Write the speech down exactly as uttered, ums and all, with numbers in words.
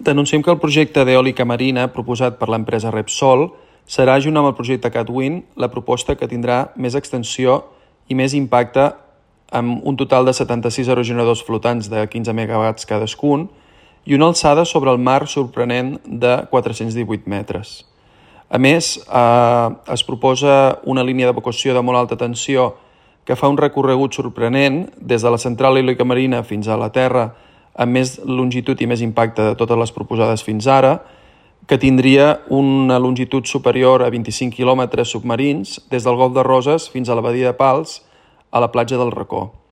Denunciem que el projecte d'eòlica marina proposat per l'empresa Repsol serà, junt amb el projecte CatWind, la proposta que tindrà més extensió i més impacte, amb un total de setanta-sis aerogeneradors flotants de quinze megawatts cadascun i una alçada sobre el mar sorprenent de quatre-cents divuit metres. A més, eh, es proposa una línia d'evacuació de molt alta tensió que fa un recorregut sorprenent des de la central eòlica marina fins a la Terra, amb més longitud i més impacte de totes les proposades fins ara, que tindria una longitud superior a vint-i-cinc quilòmetres submarins des del Golf de Roses fins a la Badia de Pals a la platja del Racó.